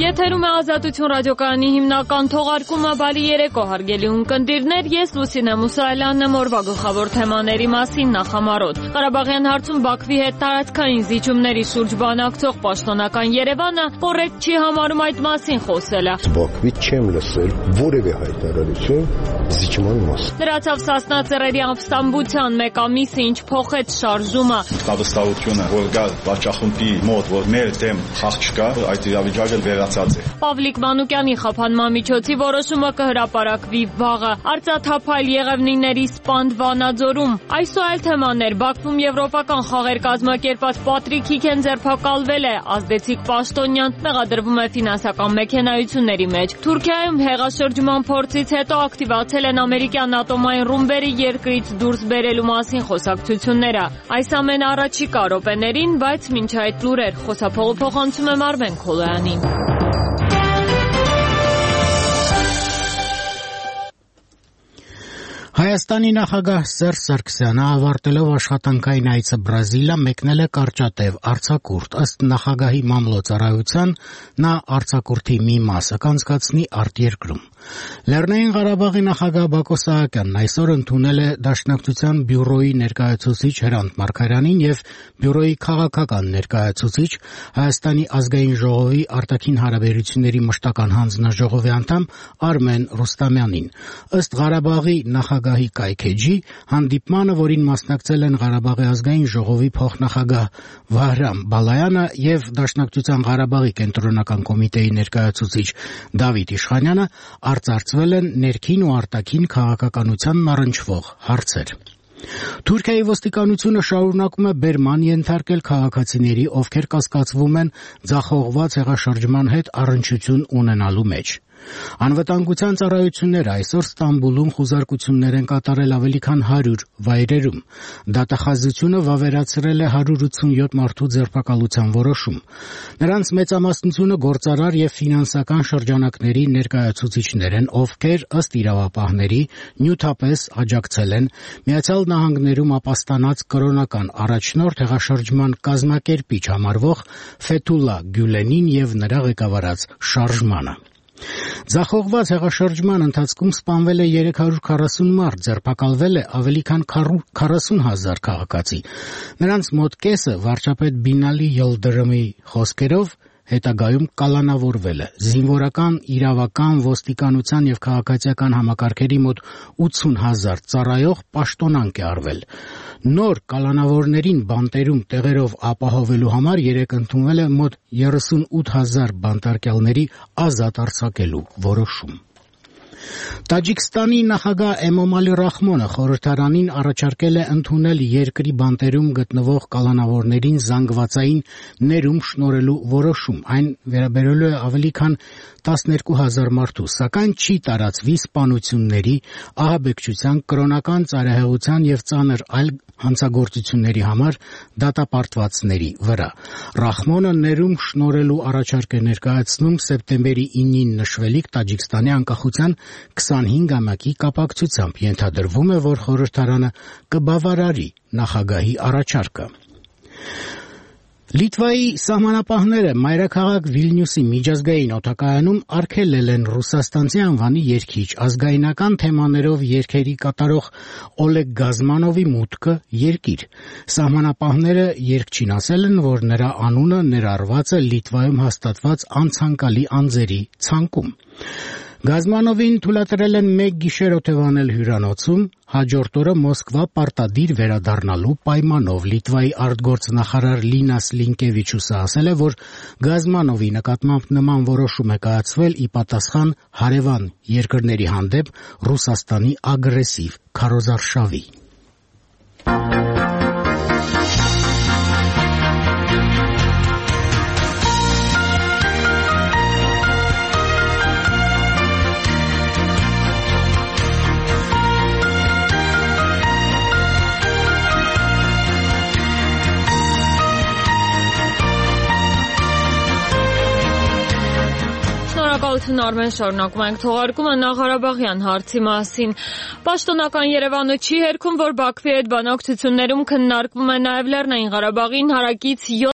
Եթերում է Ազատություն ռադիոկայանի հիմնական թողարկումը Բարի երեկո հարգելի ունկնդիրներ, ես Լուսինե Մուսայելյանն եմ օրվա գլխավոր թեմաների մասին նախամարոտ։ Ղարաբաղյան հարցում Բաքվի հետ տարածքային զիջումների շուրջ բանակցող պաշտոնական Երևանը կոռեկտ չի համարում այդ մասին խոսելը։ Բաքվից չեմ լսել որևէ հայտարարություն զիջման մասին։ Դրացավ Սասնա ծռերի ապստամբության մեկ ամիսը ինչ փոխեց շարժումը։ Հավաստավորությունը, որ գա վաճախումբի մոտ, որ մեր դեմ խաղ չկա, այդ իրավիճակը վերացած է։ Պավլիկ Մանուկյանի խափանման միջոցի որոշումը կհրապարակվի վաղը։ Արծաթափայլ Եղևնիների սպանդ Վանաձորում։ Այսօր թեմաներ Բաքվում եվրոպական խաղեր կազմակերպած Պատրիկ Հիքեն ձերբակալվել է, ազդեցիկ պաշտոնյան մեղադրվում է ֆինանսական մեքենայությունների մեջ։ Թուրքիայում հեղաշրջման փորձից հետո ակտիվացել են ամերիկյան ատոմային ռումբերի երկրից դուրս բերելու մասին խոսակցությունները։ Այս ամենը առաջիկա րոպեներին, բայց մինչ այդ լուրեր խոսափողը փոխանցում եմ Արմեն Քոլոյանին։ Հայաստանի նախագահ Սերժ Սարգսյանը ավարտելով աշխատանքային այցը Բրազիլիա մեկնել է կարճատև արձակուրդ։ Ըստ նախագահի մամլոյցարայության նա արձակուրդի մի մասը կանցկացնի արտերկրում։ Լեռնային Ղարաբաղի նախագահ Բակո Սահակյանն այսօր ընդունել է Դաշնակցության բյուրոյի ներկայացուցիչ Հրանտ Մարգարյանին եւ բյուրոյի քաղաքական ներկայացուցիչ Հայաստանի ազգային ժողովի արտաքին հարաբերությունների մշտական հանձնաժողովի անդամ Արմեն Ռուստամյանին։ Ըստ Ղարաբաղի նախագահի կայքեջի հանդիպմանը, որին մասնակցել են Ղարաբաղի ազգային ժողովի փոխնախագահ Վահրամ Բալայանը եւ Դաշնակցության Ղարաբաղի կենտրոնական կոմիտեի ներկայացուցիչ Դավիթ Իշխանյանը, արծարծվել են ներքին ու արտաքին քաղաքականությանն առնչվող հարցեր։ Թուրքիայի ոստիկանությունը շարունակում է բերման ենթարկել քաղաքացիների, ովքեր կասկածվում են ձախողված հեղաշրջման հետ առնչություն ունենալու մեջ։ Անվտանգության ծառայությունները այսօր Ստամբուլում խուզարկություններ են կատարել ավելի քան 100 վայրերում։ Դատախազությունը վավերացրել է 187 մարդու ձերբակալության որոշում։ Նրանց մեծամասնությունը գործարար եւ ֆինանսական շրջանակների ներկայացուցիչներ են, ովքեր ըստ իրավապահների նյութապես աջակցել են Միացյալ Նահանգներում ապաստանած կրոնական առաջնորդ հեղաշրջման կազմակերպիչ համարվող Ֆեթուլա Գյուլենին եւ նրա ղեկավարած շարժմանը։ Ձախողված հեղաշրջման ընթացքում սպանվել է 340 մարդ, ձերբակալվել է ավելի քան 40,000 քաղաքացի։ Նրանց մոտ կեսը վարչապետ Բինալի Յիլդրիմի խոսքերով հետագայում կալանավորվել է։ Զինվորական, իրավական, ոստիկանության եւ քաղաքացիական համակարգերի մոտ 80,000 ծառայող պաշտոնանկ է արվել։ Նոր կալանավորներին բանտերում տեղերով ապահովելու համար երեկ ընդունվել է մոտ 38,000 բանտարկյալների ազատ արձակելու որոշում։ Տաջիկստանի նախագահ Էմոմալի Ռախմոնը խորհրդարանին առաջարկել է ընդունել երկրի բանտերում գտնվող կալանավորներին զանգվածային ներում շնորհելու որոշում։ Այն վերաբերելու է ավելի քան 12,000 մարդու, սակայն չի տարածվի սպանությունների, ահաբեկչության, կրոնական ծայրահեղության եւ ծանր այլ հանցագործությունների համար դատապարտվածների վրա։ Ռախմոնը ներում շնորհելու առաջարկ է ներկայացնում սեպտեմբերի 9-ին նշվելիք Տաջիկստանի անկախության 25-ամյակի կապակցությամբ։ Ենթադրվում է, որ խորհրդարանը կբավարարի նախագահի առաջարկը։ Լիտվայի սահմանապահները մայրաքաղաք Վիլնյուսի միջազգային օդակայանում արգելել են ռուսաստանցի անվանի երգիչ, ազգայնական թեմաներով երգերի կատարող Օլեգ Գազմանովի մուտքը երկիր։ Սահմանապահները երգչին ասել են, որ նրա անունը ներառված է Լիտվայում հաստատված անցանկալի անձերի ցանկում։ Գազմանովին թույլատրել են մեկ գիշեր օթևանել հյուրանոցում, հաջորդ օրը Մոսկվա պարտադիր վերադառնալու պայմանով։ Լիտվայի արտգործնախարար Լինաս Լինկևիչուսը ասել է, որ Գազմանովի նկատմամբ նման որոշում է կայացվել ի պատասխան հարևան երկրների հանդեպ Ռուսաստանի ագրեսիվ քարոզարշավի։ Շնորհակալություն Արմեն, շարունակում ենք թողարկումը Ղարաբաղյան հարցի մասին։ Պաշտոնական Երևանը չի հերքում, որ Բաքվի հետ բանակցություններում քննարկվում է նաև Լեռնային Ղարաբաղին հարակից